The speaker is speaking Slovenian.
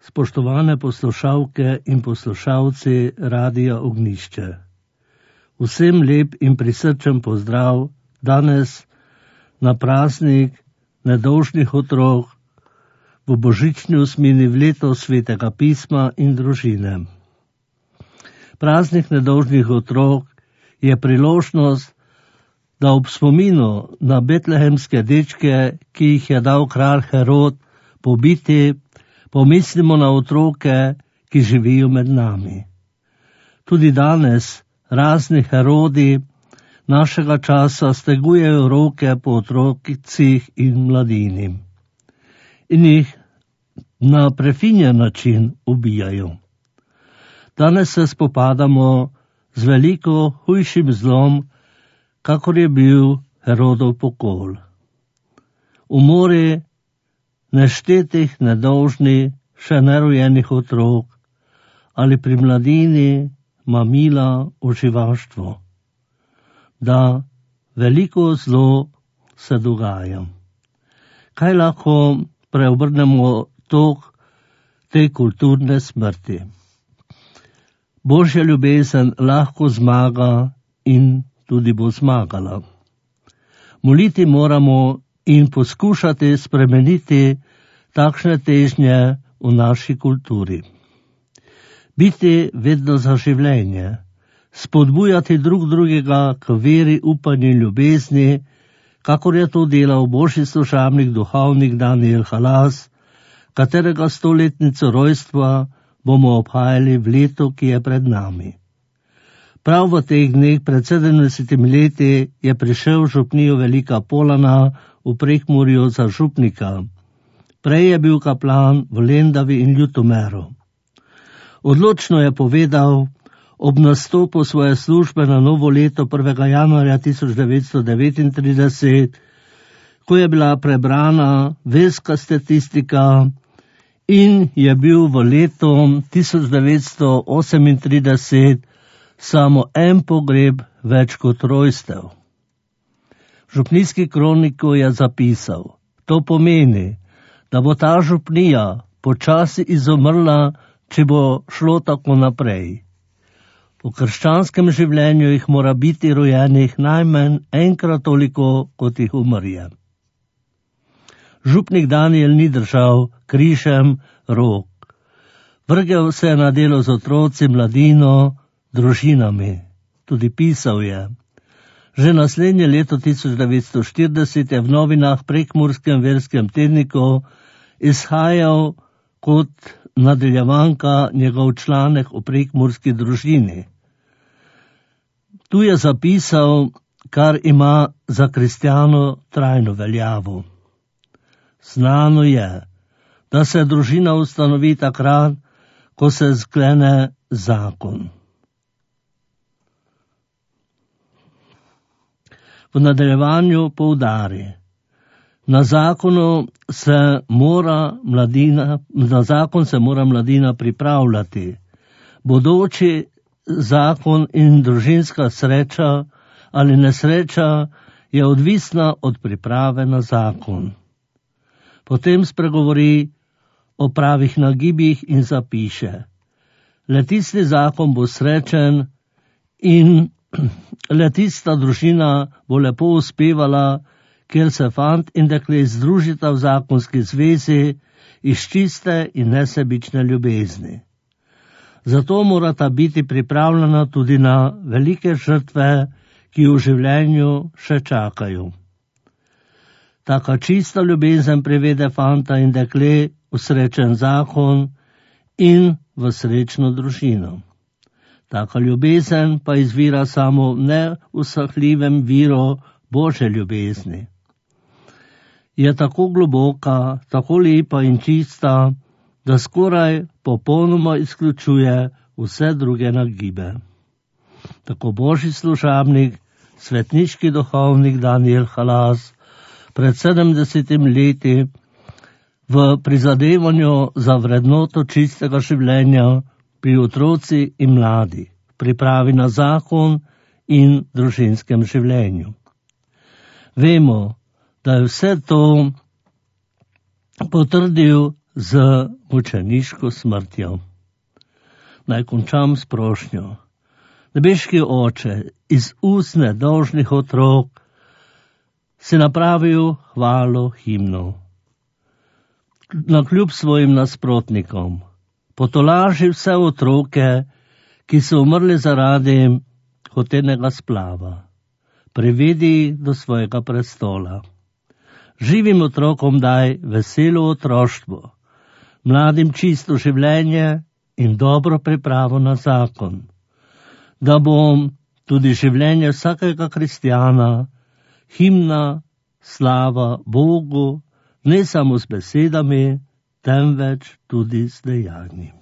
Spoštovane poslušalke in poslušalci Radia Ognjišče. Vsem lep in prisrčen pozdrav danes na praznik nedolžnih otrok v božični osmini v leto Svetega pisma in družine. Praznik nedolžnih otrok je priložnost, da ob spominu na betlehemske dečke, ki jih je dal kralj Herod pobiti, pomislimo na otroke, ki živijo med nami. Tudi danes razni Herodi našega časa stegujejo roke po otrocih in mladini in jih na prefinjen način ubijajo. Danes se spopadamo z veliko hujšim zlom, kakor je bil Herodov pokol. Umori neštetih nedolžnih, še nerojenih otrok ali pri mladini mamila uživaštvo. Da veliko zlo se dogaja. Kaj lahko preobrnemo tok te kulturne smrti? Božja ljubezen lahko zmaga in tudi bo zmagala. Moliti moramo in poskušati spremeniti takšne težnje v naši kulturi. Biti vedno za življenje, spodbujati drugega k veri, upanju in ljubezni, kakor je to delal božji služabnik, duhovnik Daniel Halas, katerega 100-letnico rojstva bomo obhajali v letu, ki je pred nami. Prav v teh dneh pred 70 leti je prišel v župnijo Velika Polana v Prekmurju za župnika. Prej je bil kaplan v Lendavi in Ljutomeru. Odločno je povedal ob nastopu svoje službe na novo leto 1. januarja 1939, ko je bila prebrana verska statistika in je bil v letu 1938 samo en pogreb več kot rojstev. V župnijski kroniku je zapisal, to pomeni, da bo ta župnija počasi izumrla, če bo šlo tako naprej. V krščanskem življenju jih mora biti rojenih najmanj enkrat toliko, kot jih umrje. Župnik Daniel ni držal križem rok. Vrgel se je na delo z otroci, mladino, družinami. Tudi pisal je. Že naslednje leto 1940 je v novinah Prekmurskem verskem tedniku izhajal kot nadaljevanka njegov članek o prekmurski družini. Tu je zapisal, kar ima za kristjano trajno veljavo. Znano je, da se družina ustanovi takrat, ko se sklene zakon. V nadaljevanju poudari, na zakon se mora mladina pripravljati. Bodoči zakon in družinska sreča ali nesreča je odvisna od priprave na zakon. Potem spregovori o pravih nagibih in zapiše, le tisti zakon bo srečen in le tista družina bo lepo uspevala, kjer se fant in dekle združita v zakonski zvezi iz čiste in nesebične ljubezni. Zato morata biti pripravljena tudi na velike žrtve, ki v življenju še čakajo. Taka čista ljubezen privede fanta in dekle v srečen zakon in v srečno družino. Taka ljubezen pa izvira samo v neusahljivem viru Božje ljubezni. Je tako globoka, tako lepa in čista, da skoraj popolnoma izključuje vse druge nagibe. Tako božji služabnik, svetniški duhovnik Daniel Halas pred 70 leti v prizadevanju za vrednoto čistega življenja pri otroci in mladi, pripravi na zakon in družinskem življenju. Vemo, da je vse to potrdil z mučeniško smrtjo. Naj končam s prošnjo. Nebeški Oče, iz ust nedolžnih otrok si napravil hvalo himnov. Nakljub svojim nasprotnikom potolaži vse otroke, ki so umrli zaradi hotenega splava. Privedi do svojega prestola. Živim otrokom daj veselo otroštvo, mladim čisto življenje in dobro pripravo na zakon, da bom tudi življenje vsakega kristjana, himna, slava Bogu, ne samo z besedami, temveč tudi z dejanji.